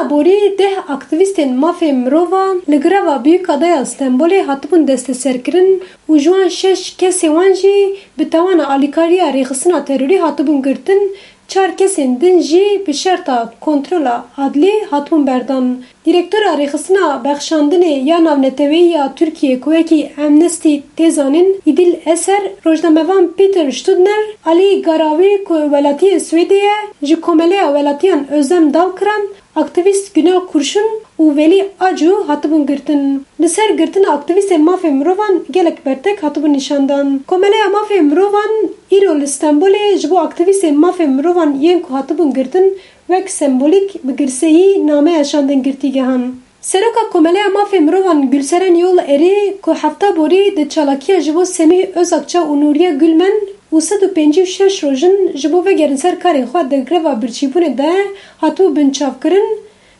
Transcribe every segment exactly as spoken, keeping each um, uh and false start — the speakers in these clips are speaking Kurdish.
Borî deh aktîvîstên mafê mirovan li greva Biyûka Daya Stenbolê hatibûn desteserkirin û ji wan şeş kesê wan jî bi tawana alîkariya rêxistina terorî hatibûn girtin, çar kesên din jî bi şerta kontrola adlî hatibûn berdan. Direktora Rêxistina Bexşandinê ya Navneteweyî ya Tirkiyê ku wekî Amnesty tê zanîn, Îdil Eser, rojnamevan Peter Studner, Alî Garawî ku welatiyê Swêdê ye, ji Komeleya Welatiyan Özlem Dalkıran, aktîvîst Günal Kurşun û Velî Acu hatibûn girtin. Li ser girtina aktîvîstên mafê mirovan gelek bertek hatibûn nîşandan. Komeleya Mafê Mirovan îro li Stenbolê ji bo aktîvîstên mafê mirovan yên ku hatibûn girtin wek sembolîk bi girseyî nameya şandin girtîgehan. Seroka Komeleya Mafê Mirovan Gülseren Yol Erî ku hefta borî di çalakiya ji bo Semîh Özakça û Nuriye Gülmen û sed û pêncî û şeş rojin ji bo vegerin ser karên xwe di greva birçîbûnê de hatibû binçavkirin,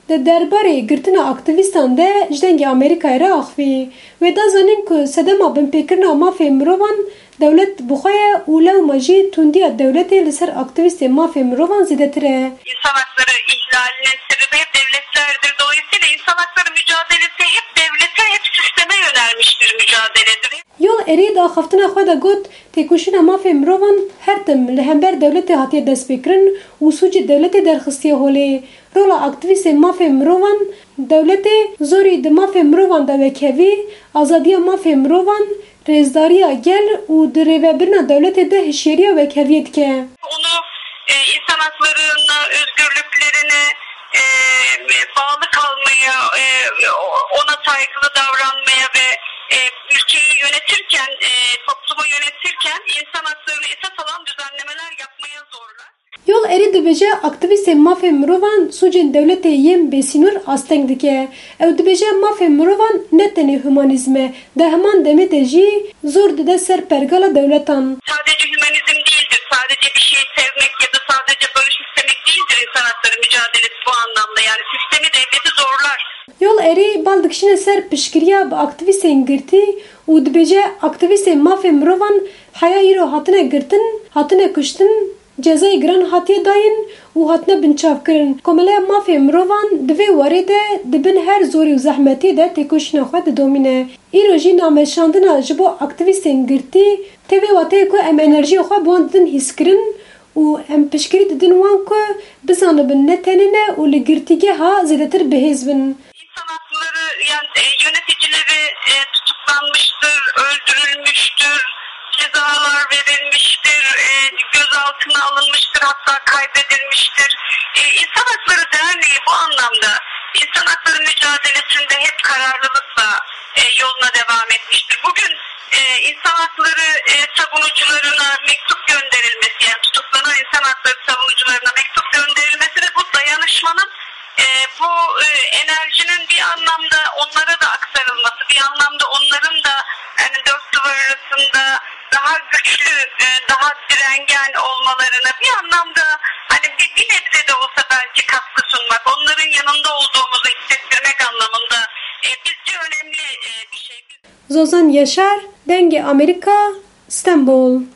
di derbarê girtina aktîvîstan de ji Dengê Amerîkayê re axivî. Wê da zanîn ku sedema binpêkirina mafê mirovan dewlet bi xwe ye û lewma jî tundiya dewletê li ser aktîvîstên mafê mirovan zêdetir e. İnsan hakları ihlalinin sebebi hep devletlerdir. Dolayısıyla insan hakları mücadelesi hep devlete, hep sisteme yönelmiş bir mücadeledir. Yol Erî di axaftina xwe de got, têkoşîna mafê mirovan her tim li hember dewletê hatiye destpêkirin û sûcê dewletê derxistiye holê. Rola aktîvîstên mafê mirovan, dewletê zorî di mafê mirovan de wekhevî, azadiya mafê mirovan, rêzdariya gel û di rêvebirina dewletê de hişyariya wekheviyê dike. Onu, e, insan haklarına, özgürlüklerine, e, bağlı kalmaya, e, ona saygılı davranmaya ve, e, ülkeyi yönetirken, e, toplumu yönetirken insan haklarını esas alan düzenlemeler yapmaya zorlar. Yol Erî dibêje, aktîvîstên mafê mirovan sûcên dewletê yên bêsînor asteng dike. Ew dibêje, mafê mirovan ne tenê humanîzm e, di heman demê de jî zor dide ser pergala dewletan. Sadece hümanizm değildir, sadece bir şey sevmek ya da sadece barış istemek değildir insan hakları mücadelesi bu anlamda. Yani sistemi, devleti zorlar. Yol Erî bal dikişîne ser piştgiriya bi aktîvîstên girtî û dibêje, aktîvîstên mafê mirovan heya îro hatine girtin, hatine kuştin, cezayê giran hatiye dayîn û hatine binçavkirin. Komeleya Mafê Mirovan di vê warê de di bin her zorî û zehmetiyê de têkoşîna xwe didomîne. Îro jî nameşandina ji bo aktîvîstên girtî tê vê wateyê ku em enerjiya xwe bi wan didin hîskirin û em piştgirî didin wan ku bizanibin ne tenê ne û li girtîgeha zêdetir bihêz bin. İnsan hakları, yani, e, yöneticileri, e, tutuklanmıştır, öldürülmüştür, cezalar verilmiştir, e, gözaltına alınmıştır, hatta kaybedilmiştir. E, İnsan Hakları Derneği bu anlamda insan hakları mücadelesinde hep kararlılıkla, e, yoluna devam etmiştir. Bugün, e, insan hakları, e, savunucularına mektup gönderilmesi, yani tutuklanan insan hakları savunucularına mektup gönderilmesi ve bu dayanışmanın e, bu, e, enerjinin bir anlamda onlara da aktarılması, bir anlamda onların da, yani, dört duvar arasında daha güçlü, e, daha direngen olmalarına bir anlamda, hani, bir, bir nebze de olsa belki katkı sunmak, onların yanında olduğumuzu hissettirmek anlamında, e, bizce önemli, e, bir şey. Zozan Yaşar, Dengê Amerîka, Stenbol.